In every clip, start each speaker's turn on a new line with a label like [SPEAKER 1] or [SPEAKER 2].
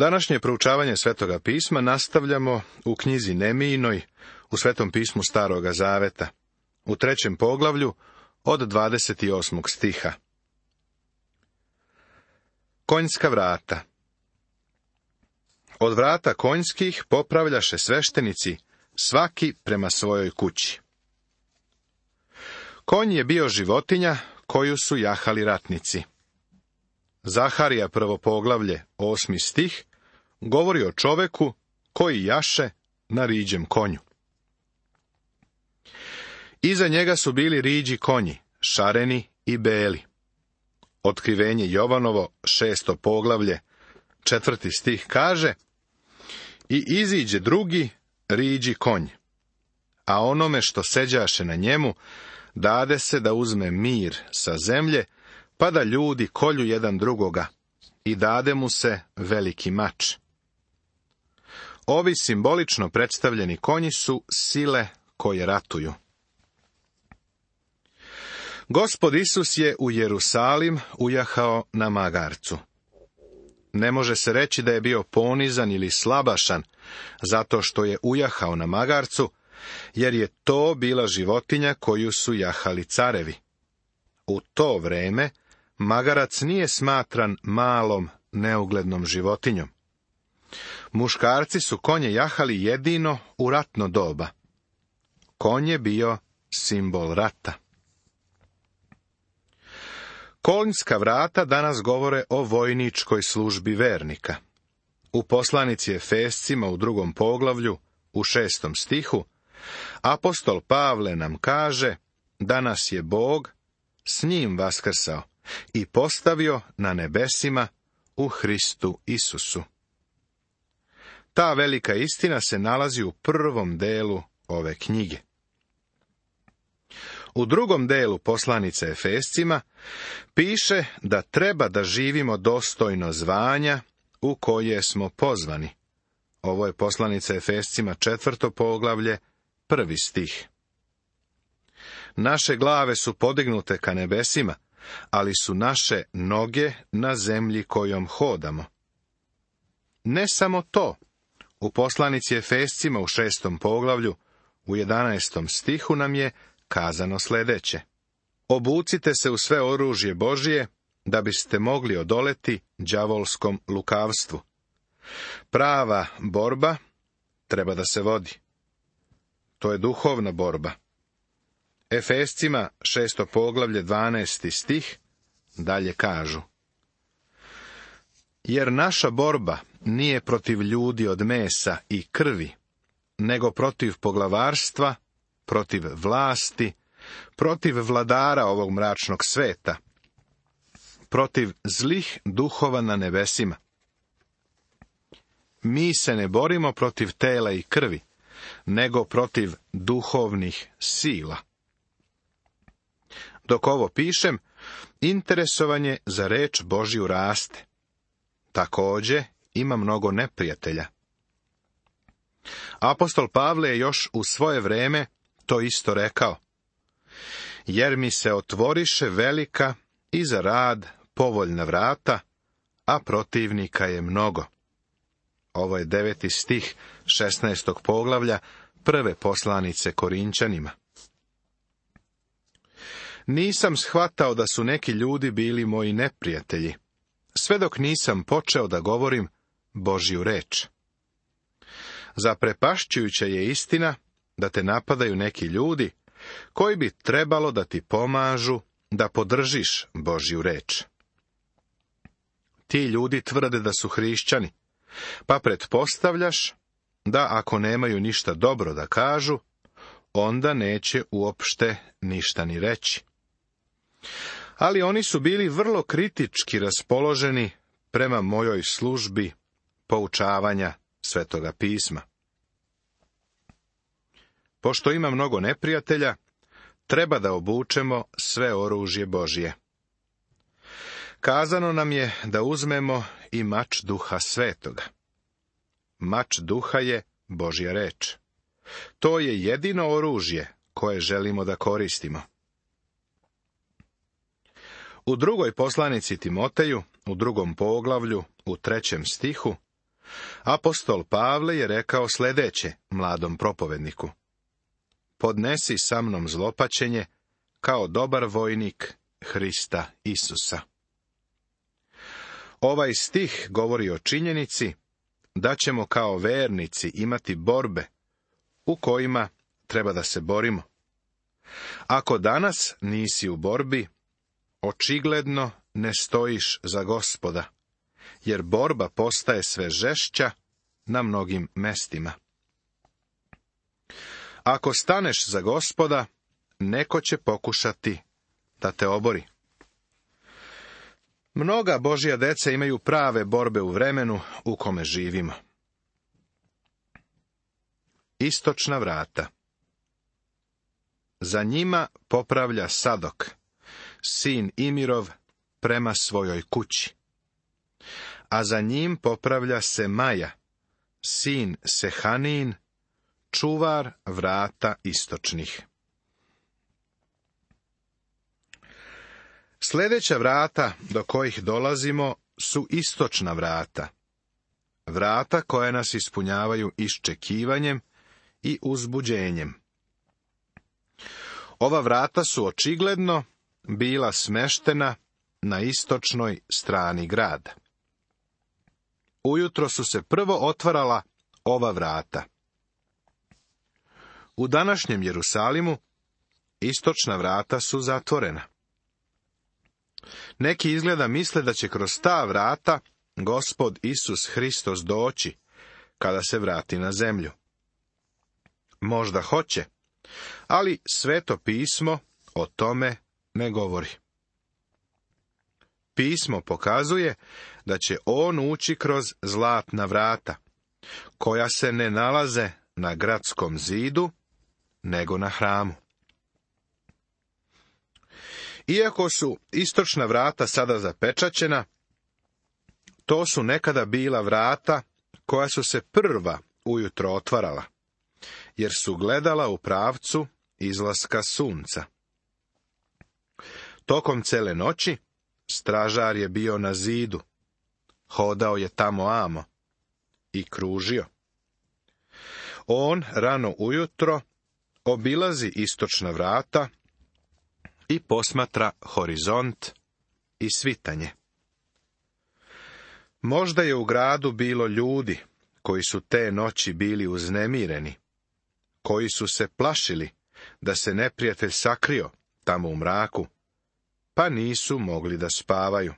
[SPEAKER 1] Današnje proučavanje Svetoga pisma nastavljamo u knjizi Nemijinoj, u Svetom pismu Staroga Zaveta, u 3. poglavlju od 28. stiha. Konjska vrata. Od vrata konjskih popravljaše sveštenici, svaki prema svojoj kući. Konj je bio životinja koju su jahali ratnici. Zaharija 1. poglavlje, 8. stih, govori o čoveku koji jaše na riđem konju. Iza njega su bili riđi konji, šareni i beli. Otkrivenje Jovanovo, 6. poglavlje, 4. stih kaže: I iziđe drugi riđi konj, a onome što seđaše na njemu dade se da uzme mir sa zemlje, pa da ljudi kolju jedan drugoga, i dade mu se veliki mač. Ovi simbolično predstavljeni konji su sile koje ratuju. Gospod Isus je u Jerusalim ujahao na magarcu. Ne može se reći da je bio ponizan ili slabašan zato što je ujahao na magarcu, jer je to bila životinja koju su jahali carevi. U to vreme magarac nije smatran malom, neuglednom životinjom. Muškarci su konje jahali jedino u ratno doba. Konj je bio simbol rata. Konjska vrata danas govore o vojničkoj službi vernika. U poslanici Efescima u 2. poglavlju, u 6. stihu, apostol Pavle nam kaže da nas je Bog s njim vaskrsao i postavio na nebesima u Hristu Isusu. Ta velika istina se nalazi u prvom delu ove knjige. U drugom delu poslanice Efescima piše da treba da živimo dostojno zvanja u koje smo pozvani. Ovo je poslanica Efescima 4. poglavlje, 1. stih. Naše glave su podignute ka nebesima, ali su naše noge na zemlji kojom hodamo. Ne samo to, u poslanici Efescima u 6. poglavlju, u 11. stihu nam je kazano sljedeće: Obucite se u sve oružje Božije, da biste mogli odoleti đavolskom lukavstvu. Prava borba treba da se vodi. To je duhovna borba. Efescima 6. poglavlje 12. stih dalje kažu: Jer naša borba nije protiv ljudi od mesa i krvi, nego protiv poglavarstva, protiv vlasti, protiv vladara ovog mračnog sveta, protiv zlih duhova na nebesima. Mi se ne borimo protiv tela i krvi, nego protiv duhovnih sila. Dok ovo pišem, interesovanje za reč Božju raste. Također ima mnogo neprijatelja. Apostol Pavle je još u svoje vreme to isto rekao: Jer mi se otvoriše velika i za rad povoljna vrata, a protivnika je mnogo. Ovo je 9. stih 16. poglavlja prve poslanice Korinčanima. Nisam shvatao da su neki ljudi bili moji neprijatelji, sve dok nisam počeo da govorim Božju reč. Zaprepašćujuća je istina da te napadaju neki ljudi koji bi trebalo da ti pomažu da podržiš Božju reč. Ti ljudi tvrde da su hrišćani, pa pretpostavljaš da ako nemaju ništa dobro da kažu, onda neće uopšte ništa ni reći. Ali oni su bili vrlo kritički raspoloženi prema mojoj službi poučavanja Svetoga pisma. Pošto ima mnogo neprijatelja, treba da obučemo sve oružje Božje. Kazano nam je da uzmemo i mač Duha Svetoga. Mač Duha je Božja reč. To je jedino oružje koje želimo da koristimo. U drugoj poslanici Timoteju, u 2. poglavlju, u 3. stihu, Apostol Pavle je rekao sljedeće mladom propovedniku: podnesi sa mnom zlopaćenje kao dobar vojnik Hrista Isusa. Ovaj stih govori o činjenici da ćemo kao vernici imati borbe u kojima treba da se borimo. Ako danas nisi u borbi, očigledno ne stojiš za Gospoda, jer borba postaje sve žešća na mnogim mestima. Ako staneš za Gospoda, neko će pokušati da te obori. Mnoga Božja deca imaju prave borbe u vremenu u kome živimo. Istočna vrata. Za njima popravlja Sadok, sin Imirov, prema svojoj kući. A za njim popravlja se Maja, sin Sehanin, čuvar vrata istočnih. Sljedeća vrata do kojih dolazimo su istočna vrata. Vrata koja nas ispunjavaju iščekivanjem i uzbuđenjem. Ova vrata su očigledno bila smeštena na istočnoj strani grada. Ujutro su se prvo otvarala ova vrata. U današnjem Jerusalimu istočna vrata su zatvorena. Neki izgleda misle da će kroz ta vrata Gospod Isus Hristos doći kada se vrati na zemlju. Možda hoće, ali Sveto pismo o tome ne govori. Pismo pokazuje da će on ući kroz zlatna vrata, koja se ne nalaze na gradskom zidu, nego na hramu. Iako su istočna vrata sada zapečaćena, to su nekada bila vrata koja su se prva ujutro otvarala, jer su gledala u pravcu izlaska sunca. Tokom cele noći stražar je bio na zidu, hodao je tamo amo i kružio. On rano ujutro obilazi istočna vrata i posmatra horizont i svitanje. Možda je u gradu bilo ljudi koji su te noći bili uznemireni, koji su se plašili da se neprijatelj sakrio tamo u mraku, pa nisu mogli da spavaju.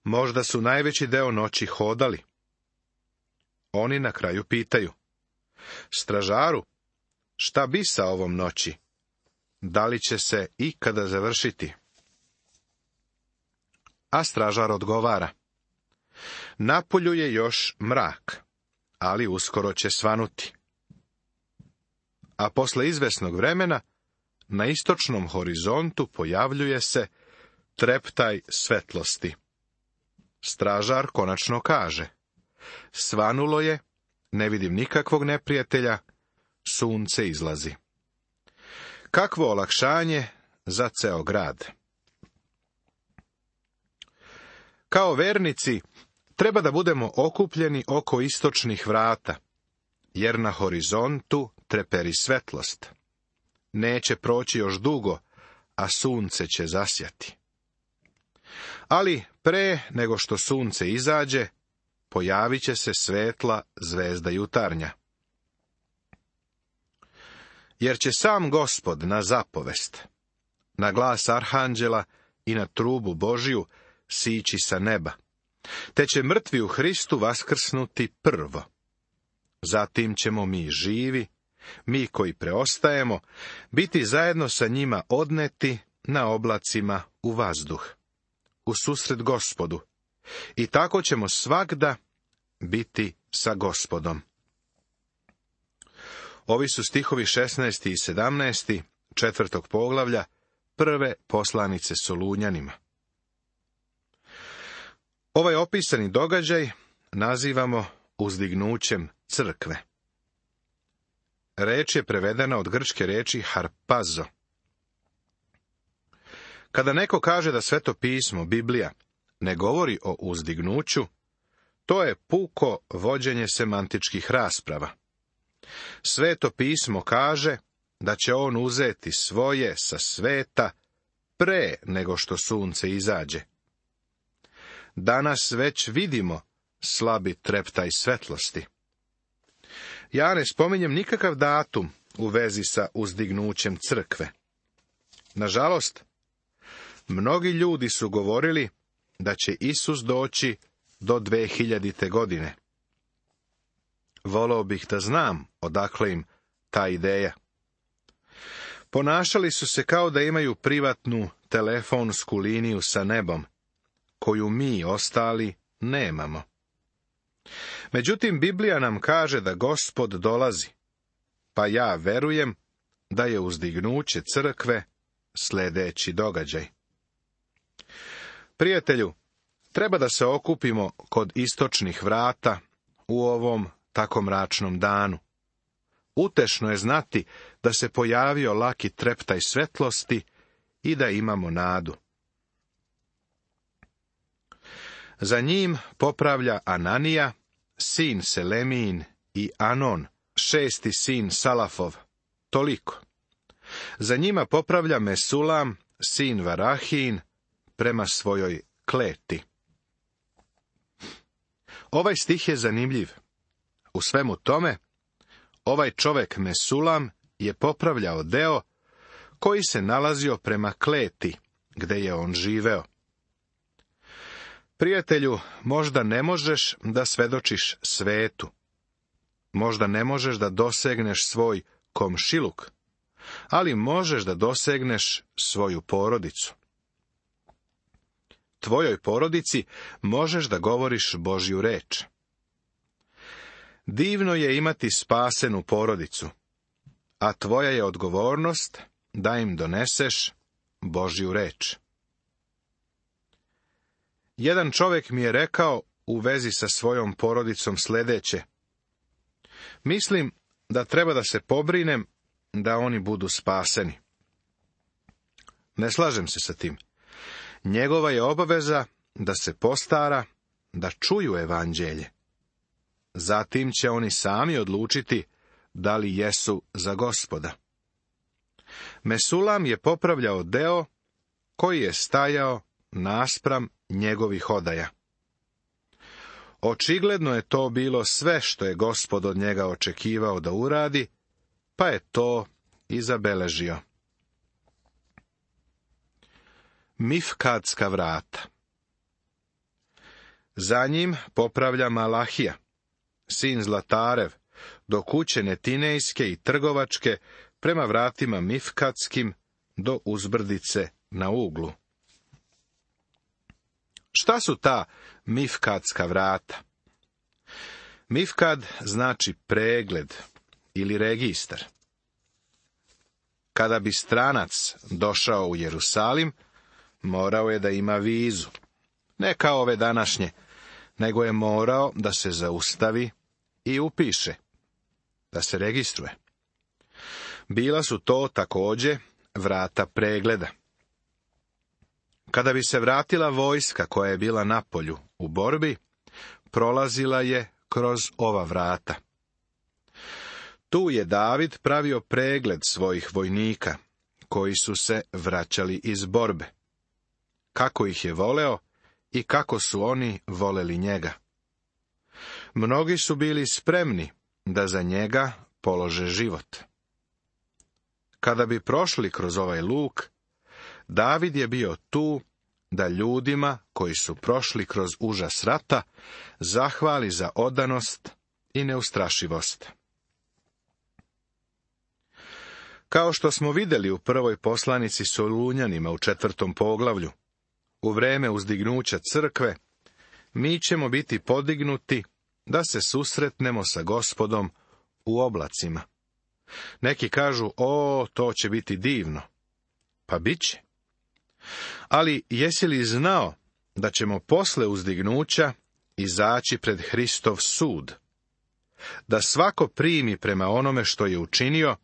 [SPEAKER 1] Možda su najveći deo noći hodali. Oni na kraju pitaju: stražaru, šta bi sa ovom noći? Da li će se ikada završiti? A stražar odgovara: napolju je još mrak, ali uskoro će svanuti. A posle izvesnog vremena na istočnom horizontu pojavljuje se treptaj svetlosti. Stražar konačno kaže: svanulo je, ne vidim nikakvog neprijatelja, sunce izlazi. Kakvo olakšanje za ceo grad. Kao vernici treba da budemo okupljeni oko istočnih vrata, jer na horizontu treperi svetlost. Neće proći još dugo, a sunce će zasjati. Ali pre nego što sunce izađe, pojavit će se svetla zvezda jutarnja. Jer će sam Gospod na zapovest, na glas arhanđela i na trubu Božiju sići sa neba, te će mrtvi u Hristu vaskrsnuti prvo. Zatim ćemo mi živi, mi koji preostajemo, biti zajedno sa njima odneti na oblacima u vazduh, u susret Gospodu, i tako ćemo svagda biti sa Gospodom. Ovi su stihovi 16. i 17. 4. poglavlja prve poslanice Solunjanima. Ovaj opisani događaj nazivamo uzdignućem crkve. Reč je prevedena od grčke reči harpazo. Kada neko kaže da Sveto pismo, Biblija, ne govori o uzdignuću, To je puko vođenje semantičkih rasprava. Sveto pismo kaže da će on uzeti svoje sa sveta pre nego što sunce izađe. Danas već vidimo slabi treptaj svetlosti. Ja ne spominjem nikakav datum u vezi sa uzdignućem crkve. Nažalost, mnogi ljudi su govorili da će Isus doći do 2000. godine. Voleo bih da znam odakle im ta ideja. Ponašali su se kao da imaju privatnu telefonsku liniju sa nebom, koju mi ostali nemamo. Međutim, Biblija nam kaže da Gospod dolazi, pa ja verujem da je uzdignuće crkve sljedeći događaj. Prijatelju, treba da se okupimo kod istočnih vrata u ovom tako mračnom danu. Utešno je znati da se pojavio laki treptaj svetlosti i da imamo nadu. Za njim popravlja Ananija, sin Selemin, i Anon, 6. sin Salafov. Toliko. Za njima popravlja Mesulam, sin Varahin, prema svojoj kleti. Ovaj stih je zanimljiv. U svemu tome, ovaj čovek Mesulam je popravljao deo koji se nalazio prema kleti, gde je on živeo. Prijatelju, možda ne možeš da svedočiš svetu. Možda ne možeš da dosegneš svoj komšiluk, ali možeš da dosegneš svoju porodicu. Tvojoj porodici možeš da govoriš Božju reč. Divno je imati spasenu porodicu, a tvoja je odgovornost da im doneseš Božju reč. Jedan čovjek mi je rekao u vezi sa svojom porodicom sljedeće: mislim da treba da se pobrinem da oni budu spaseni. Ne slažem se sa tim. Njegova je obaveza da se postara da čuju evanđelje. Zatim će oni sami odlučiti da li jesu za Gospoda. Mesulam je popravljao deo koji je stajao naspram njegovih odaja. Očigledno je to bilo sve što je Gospod od njega očekivao da uradi, pa je to i zabeležio. Mifkadska vrata. Za njim popravlja Malahija, sin Zlatarev, do kuće Netinejske i Trgovačke, prema vratima Mifkadskim do uzbrdice na uglu. Šta su ta Mifkadska vrata? Mifkad znači pregled ili registar. Kada bi stranac došao u Jerusalim, morao je da ima vizu. Ne kao ove današnje, nego je morao da se zaustavi i upiše, da se registruje. Bila su to također vrata pregleda. Kada bi se vratila vojska koja je bila na polju u borbi, prolazila je kroz ova vrata. Tu je David pravio pregled svojih vojnika, koji su se vraćali iz borbe. Kako ih je voleo i kako su oni voleli njega. Mnogi su bili spremni da za njega polože život. Kada bi prošli kroz ovaj luk, David je bio tu da ljudima koji su prošli kroz užas rata zahvali za odanost i neustrašivost. Kao što smo vidjeli u prvoj poslanici Solunjanima u 4. poglavlju, u vreme uzdignuća crkve, mi ćemo biti podignuti da se susretnemo sa Gospodom u oblacima. Neki kažu, to će biti divno. Pa bit će. Ali jesi li znao da ćemo posle uzdignuća izaći pred Hristov sud? Da svako primi prema onome što je učinio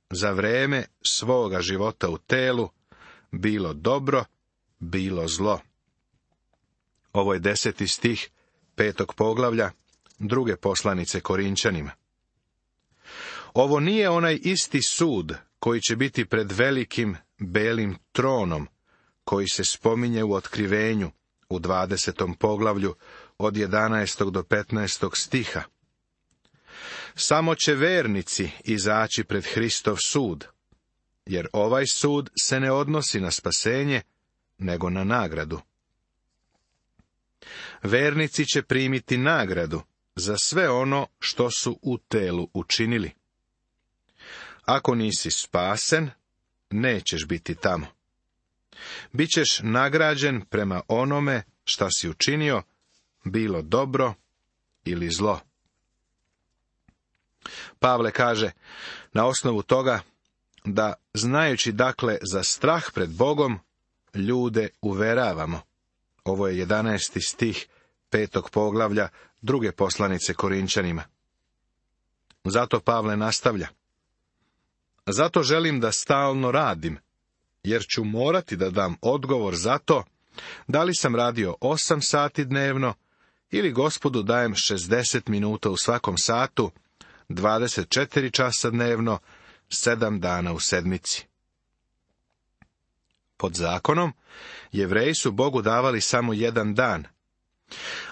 [SPEAKER 1] za vreme svoga života u telu, bilo dobro, bilo zlo. Ovo je 10. stih 5. poglavlja 2. poslanice Korinčanima. Ovo nije onaj isti sud koji će biti pred velikim belim tronom, koji se spominje u Otkrivenju u 20. poglavlju od 11. do 15. stiha. Samo će vernici izaći pred Hristov sud, jer ovaj sud se ne odnosi na spasenje, nego na nagradu. Vernici će primiti nagradu za sve ono što su u telu učinili. Ako nisi spasen, nećeš biti tamo. Bićeš nagrađen prema onome šta si učinio, bilo dobro ili zlo. Pavle kaže na osnovu toga da, znajući dakle za strah pred Bogom, ljude uveravamo. Ovo je 11. stih 5. poglavlja 2. poslanice Korinčanima. Zato Pavle nastavlja. Zato želim da stalno radim, jer ću morati da dam odgovor za to, da li sam radio 8 sati dnevno, ili Gospodu dajem 60 minuta u svakom satu, 24 časa dnevno, 7 dana u sedmici. Pod zakonom, Jevreji su Bogu davali samo 1 dan.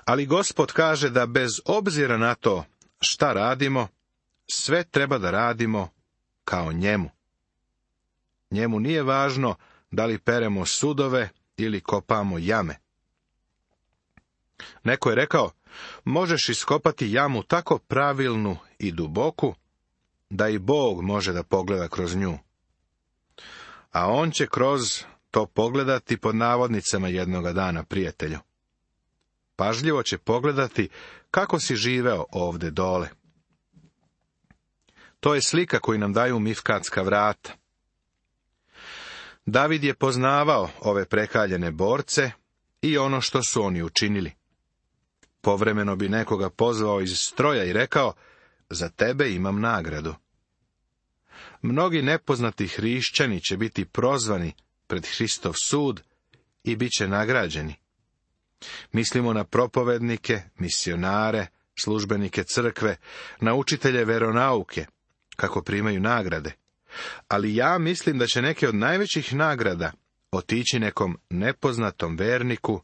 [SPEAKER 1] Ali Gospod kaže da bez obzira na to šta radimo, sve treba da radimo kao njemu. Njemu nije važno da li peremo sudove ili kopamo jame. Neko je rekao, možeš iskopati jamu tako pravilnu i duboku, da i Bog može da pogleda kroz nju. A on će kroz to pogledati pod navodnicama jednoga dana, prijatelju. Pažljivo će pogledati kako si živeo ovde dole. To je slika koju nam daju Mifkatska vrata. David je poznavao ove prekaljene borce i ono što su oni učinili. Povremeno bi nekoga pozvao iz stroja i rekao, za tebe imam nagradu. Mnogi nepoznati hrišćani će biti prozvani pred Hristov sud i bit će nagrađeni. Mislimo na propovednike, misionare, službenike crkve, na učitelje veronauke, kako primaju nagrade. Ali ja mislim da će neke od najvećih nagrada otići nekom nepoznatom verniku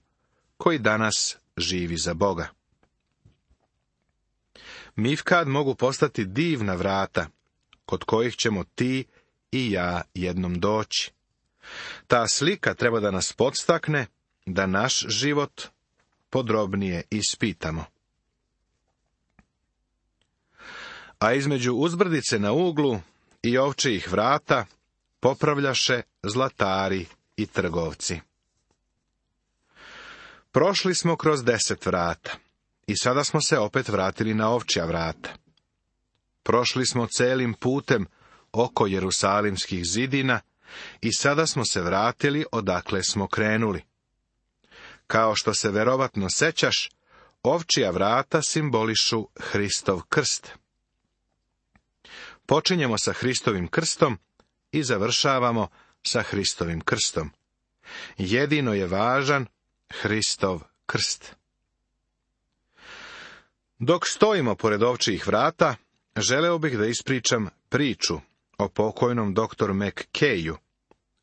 [SPEAKER 1] koji danas živi za Boga. Mifkad mogu postati divna vrata, kod kojih ćemo ti i ja jednom doći. Ta slika treba da nas podstakne da naš život podrobnije ispitamo. A između uzbrdice na uglu i ovčijih vrata popravljaše zlatari i trgovci. Prošli smo kroz 10 vrata i sada smo se opet vratili na ovčja vrata. Prošli smo celim putem oko Jerusalimskih zidina i sada smo se vratili odakle smo krenuli. Kao što se verovatno sećaš, ovčja vrata simbolišu Hristov krst. Počinjemo sa Hristovim krstom i završavamo sa Hristovim krstom. Jedino je važan Hristov krst. Dok stojimo pored ovčjih vrata, želeo bih da ispričam priču o pokojnom doktoru McKayu,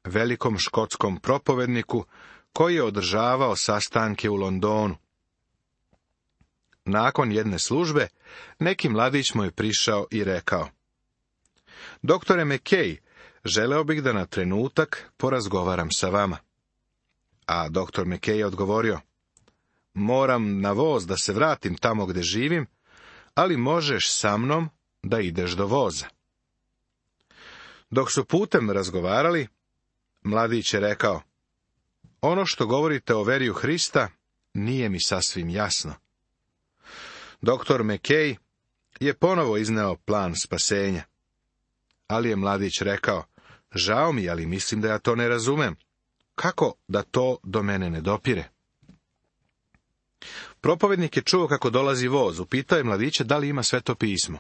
[SPEAKER 1] velikom škotskom propovedniku koji je održavao sastanke u Londonu. Nakon jedne službe, neki mladić mu je prišao i rekao, doktore McKay, želeo bih da na trenutak porazgovaram sa vama. A doktor McKay je odgovorio, moram na voz da se vratim tamo gde živim, ali možeš sa mnom da ideš do voza. Dok su putem razgovarali, mladić je rekao, ono što govorite o veri u Hrista nije mi sasvim jasno. Doktor McKay je ponovo izneo plan spasenja. Ali je mladić rekao, žao mi, ali mislim da ja to ne razumem. Kako da to do mene ne dopire? Propovednik je čuo kako dolazi voz, upitao je mladića da li ima Sveto pismo.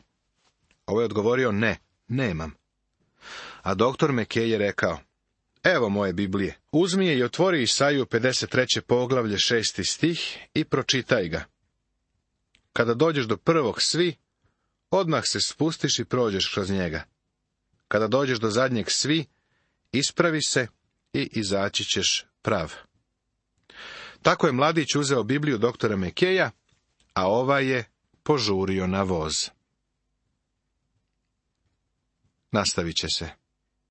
[SPEAKER 1] Ovo je odgovorio, ne, nemam. A doktor McKay je rekao, evo moje Biblije, uzmi je i otvori Isaiju 53. poglavlje 6. stih i pročitaj ga. Kada dođeš do prvog svi, odmah se spustiš i prođeš kroz njega. Kada dođeš do zadnjeg svi, ispravi se i izaći ćeš prav. Tako je mladić uzeo Bibliju doktora Mekeja, a ovaj je požurio na voz. Nastavit će se.